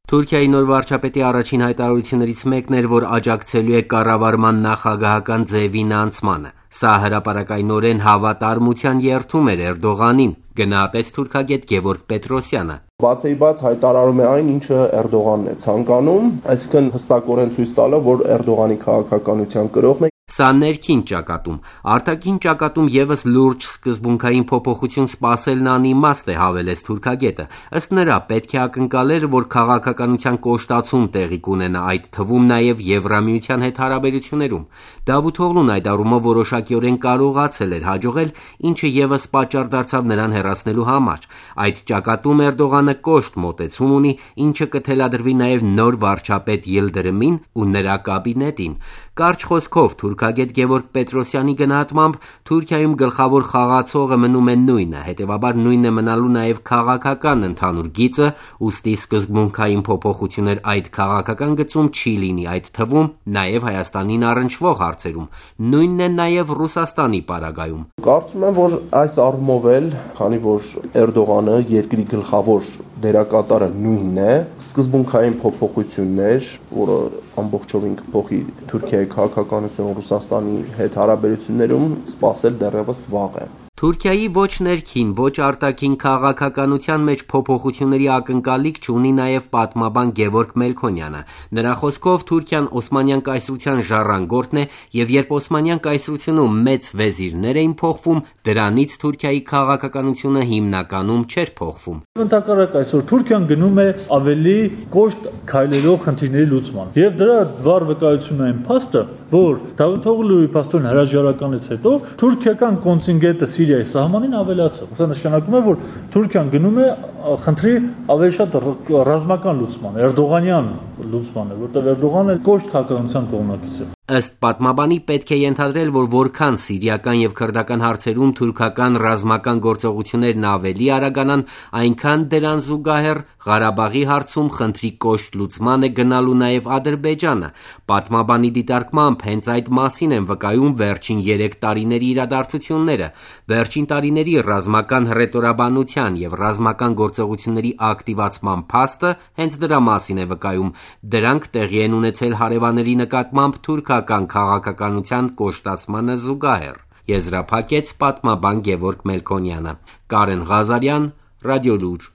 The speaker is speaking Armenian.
Թուրքիայի նոր վարչապետի առաջին հայտարարություններից մեկն էր, որ աջակցելու է կառավարման նախագահական ձևին անցմանը։ Սա հրապարակայնորեն հավատարմության երդում էր Էրդողանին, գնահատեց թուրքագետ Գևորգ Պետրոսյանը։ Բացեիբաց հայտարարում է այն, ինչը Էրդողանն է ցանկանում, այսինքն հստակորեն ցույց տալով, որ Էրդողանի քաղաքականության կրողն է։ Սա ներքին ճակատում, արտաքին ճակատում եւս լուրջ սկզբունքային փոփոխություն սպասելն անիմաստ է, հավելեց թուրքագետը։ Ըստ նրա, պետք է ակնկալեր, որ քաղաքականության կոշտացում տեղի կունենա, այդ թվում նաեւ Եվրամիության հետ հարաբերություններում։ Դավութօղլուն այդ առումով որոշակիորեն կարողացել էր հաջողել, ինչը եւս պատճառ դարձավ նրան հեռացնելու համար։ Այդ ճակատում Էրդողանը կոշտ մոտեցում ունի, ինչը կթելադրվի նաեւ նոր վարչապետ Յիլդրիմին ու նրա կաբինետին։ Կարճ խոսքով թուրքագետ Գևորգ Պետրոսյանի գնահատմամբ Թուրքիայում գլխավոր խաղացողը մնում է նույնը, հետևաբար նույնն է մնալու նաև քաղաքական ընդհանուր գիծը, ուստի սկզբունքային փոփոխություններ այդ քաղաքական գծում չի լինի, այդ թվում նաև Հայաստանին առնչվող հարցերում։ Նույնն է նաև Ռուսաստանի պարագայում։ Կարծում եմ, որ այս առումով էլ, քանի որ Էրդողանը երկրի գլխավոր դերակատարը նույնն է, սկզբունքային փոփոխություններ, որը ամբողջովին կփոխի Թուրքիայի քաղաքականությունը Ռուսաստանի հետ հարաբերություններում, սպասել դեռևս վաղ է։ Թուրքիայի ոչ ներքին, ոչ արտաքին քաղաքականության մեջ փոփոխությունների ակնկալիք չունի նաև պատմաբան Գևորգ Մելքոնյանը։ Նրա խոսքով Թուրքիան Օսմանյան կայսրության ժառանգորդն է, եւ երբ Օսմանյան կայսրությունում մեծ վեզիրներ էին փոխվում, դրանից Թուրքիայի քաղաքականությունը հիմնականում չէր փոխվում։ Ընդհակառակ այսօր Թուրքիան գնում է ավելի կոշտ քայլերով խնդիրների լուծման։ Եվ դրա վառ վկայությունն այն փաստը, որ Դավութօղլուի փաստորեն հրաժարականից հետո թուրքիական կոնտինգենտը Սիրիայի սահմանին ավելացավ։ Սա նշանակում է, որ Թուրքիան գնում է խնդրի ավելի շատ ռազմական լուծման, Էրդողանյան լուծմանը, որտեղ Էրդողանը կոշտ քաղաքականության կողմնակից է։ Ըստ պատմաբանի պետք է ենթադրել, որ որքան սիրիական եւ քրդական հարցերում թուրքական ռազմական գործողություններն ավելի արագանան, այնքան դրան զուգահեռ Ղարաբաղի հարցում խնդրի կոշտ լուծման է գնալու նաեւ Ադրբեջանը։ Պատմաբանի դիտարկմամբ հենց այդ մասին են վկայում վերջին 3 տարիների իրադարձությունները։ Վերջին տարիների ռազմական հռետորաբանության եւ ռազմական գործողությունների ակտիվացման փաստը հենց դրա մասին է վկայում։ Դրանք տեղի են ունեցել հարևանների նկատմամբ թուրքական քաղաքականության կոշտացմանը զուգահեռ, եզրափակեց պատմաբան Գևորգ Մելքոնյանը։ Կարեն Ղազարյան, Ռադիոլուր։